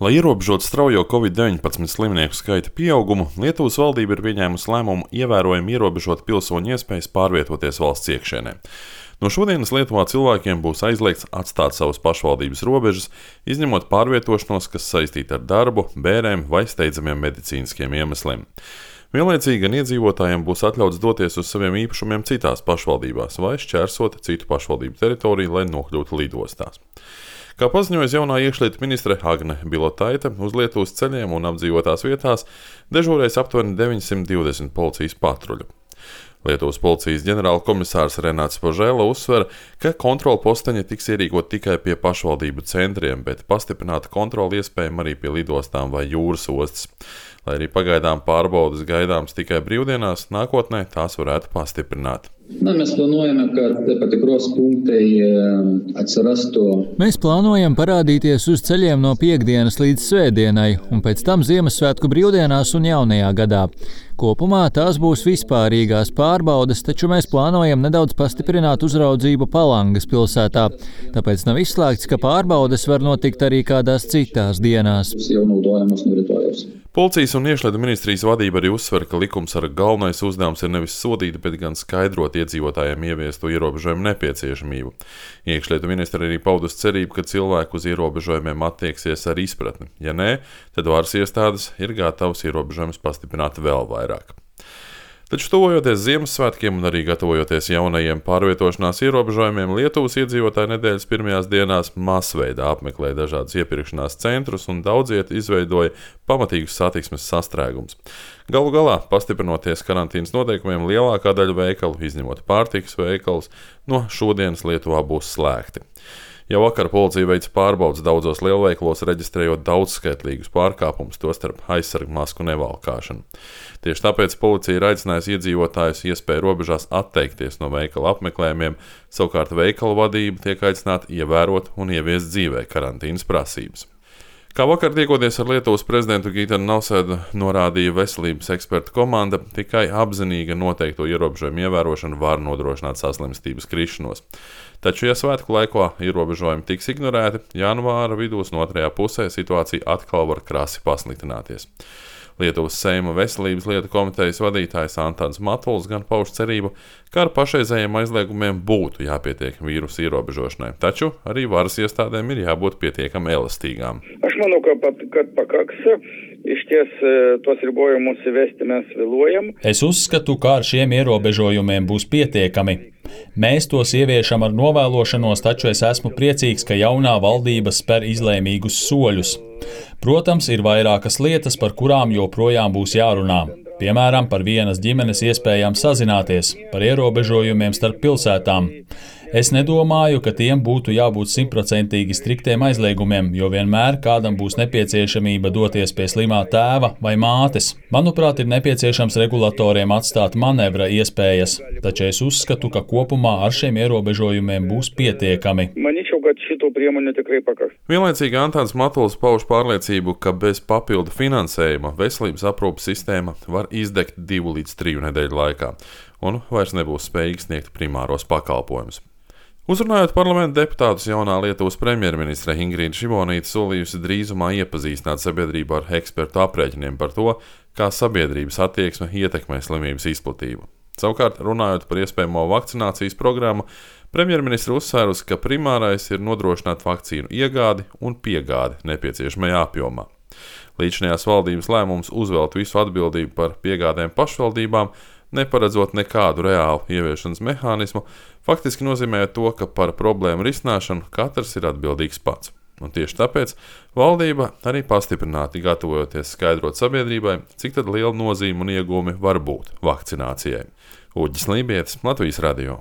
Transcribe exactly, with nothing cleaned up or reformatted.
Lai ierobežotu straujo covid deviņpadsmit slimnieku skaita pieaugumu, Lietuvas valdība ir pieņēmusi lēmumu ievērojami ierobežot pilsoņu iespējas pārvietoties valsts iekšienē. No šodienas Lietuvā cilvēkiem būs aizliegts atstāt savas pašvaldības robežas, izņemot pārvietošanos, kas saistīta ar darbu, bērēm vai steidzamiem medicīniskiem iemesliem. Vienlaicīgi gan iedzīvotājiem būs atļauts doties uz saviem īpašumiem citās pašvaldībās vai šķērsot citu pašvaldību teritoriju, lai nokļūtu lidostās. Kā paziņojas jaunā iekšlietu ministre Agne Bilotaite, uz Lietuvas ceļiem un apdzīvotās vietās dežūrēs aptuveni deviņsimt divdesmit policijas patruļu. Lietuvas policijas ģenerāla komisārs Renāts Požēla uzsver, ka kontrolu posteņi tiks ierīkot tikai pie pašvaldību centriem, bet pastiprināta kontrola iespējama arī pie lidostām vai jūras ostas. Lai arī pagaidām pārbaudes gaidāms tikai brīvdienās, nākotnē tās varētu pastiprināt. Na, mēs plānojam, ka patikros punkti atsirastu. Mēs plānojam parādīties uz ceļiem no piekdienas līdz svētdienai, un pēc tam Ziemassvētku brīvdienās un jaunajā gadā. Kopumā tās būs vispārīgās pārbaudes, taču mēs plānojam nedaudz pastiprināt uzraudzību Palangas pilsētā. Tāpēc nav izslēgts, ka pārbaudes var notikt arī kādās citās dienās. Policijas un iekšlietu ministrijas vadība arī uzsver, ka likumsarga galvenais uzdevums ir nevis sodīt, bet gan skaidrot iedzīvotājiem ieviesto ierobežojumu nepieciešamību. Iekšlietu ministri arī paudus cerību, ka cilvēki uz ierobežojumiem attieksies ar izpratni. Ja nē, tad varas iestādes ir gatavas ierobežojumus pastiprināt vēl vairāk. Taču tuvojoties Ziemassvētkiem un arī gatavojoties jaunajiem pārvietošanās ierobežojumiem, Lietuvas iedzīvotāji nedēļas pirmajās dienās masveidā apmeklēja dažādus iepirkšanās centrus un daudziet izveidoja pamatīgus satiksmes sastrēgumus. Galu galā, pastiprinoties karantīnas noteikumiem, lielākā daļa veikalu, izņemot pārtikas veikalus, no šodienas Lietuvā būs slēgti. Jau vakar policija veica pārbaudes daudzos lielveikalos, reģistrējot daudzskaitlīgus pārkāpumus, tostarp aizsargu masku nevalkāšanu. Tieši tāpēc policija ir aicinājusi iedzīvotājus iespēju robežās atteikties no veikala apmeklējumiem, savukārt veikalu vadība tiek aicināta ievērot un ieviest dzīvē karantīnas prasības. Kā vakar tiekoties ar Lietuvas prezidentu Gitanu Nausēdu, norādīja veselības ekspertu komanda, tikai apzinīga noteikto ierobežojumu ievērošana var nodrošināt saslimstības krišanos. Taču, ja svētku laikā ierobežojumi tiks ignorēti, janvāra vidūs no otrajā pusē situācija atkal var krasi pasliktināties. Lietuvas Seima veselības lietu komitejas vadītājs Antāns Matuls gan pauž cerību, ka ar pašreizējiem aizliegumiem būtu jāpietiek vīrusu ierobežošanai, taču arī varas iestādēm ir jābūt pietiekami elastīgām. Aš manau, ka pat, kad pakaks, išties tos ribojumus įvesti mes vėluojam. Es uzskatu, ka ar šiem ierobežojumiem būs pietiekami. Mēs tos ieviešam ar novēlošanos, taču es esmu priecīgs, ka jaunā valdība spēr izlēmīgus soļus. Protams, ir vairākas lietas, par kurām joprojām būs jārunā. Piemēram, par vienas ģimenes iespējām sazināties, par ierobežojumiem starp pilsētām. Es nedomāju, ka tiem būtu jābūt simtprocentīgi striktiem aizliegumiem, jo vienmēr kādam būs nepieciešamība doties pie slimā tēva vai mātes. Manuprāt, ir nepieciešams regulatoriem atstāt manevra iespējas, taču es uzskatu, ka kopumā ar šiem ierobežojumiem būs pietiekami. Vienlaicīgi Antāns Matuls pauž pārliecību, ka bez papildu finansējuma veselības aprūpes sistēma var izdegt divu līdz triju nedēļu laikā un vairs nebūs spējīga sniegt primāros pakalpojumus. Uzrunājot parlamenta deputātus, jaunā Lietuvas premjerministre Ingrīda Šimonyte solījusi drīzumā iepazīstināt sabiedrību ar ekspertu aprēķiniem par to, kā sabiedrības attieksme ietekmē slimības izplatību. Savukārt, runājot par iespējamo vakcinācijas programmu, premjerministre uzsvērusi, ka primārais ir nodrošināt vakcīnu iegādi un piegādi nepieciešamajā apjomā. Līdzinājās valdības lēmums uzvelt visu atbildību par piegādēm pašvaldībām, neparedzot nekādu reālu ieviešanas mehānismu, faktiski nozīmē to, ka par problēmu risināšanu katrs ir atbildīgs pats. Un tieši tāpēc valdība arī pastiprināti gatavojoties skaidrot sabiedrībai, cik tad liela nozīme un iegūmi var būt vakcinācijai. Uģis Lībietis, Latvijas radio.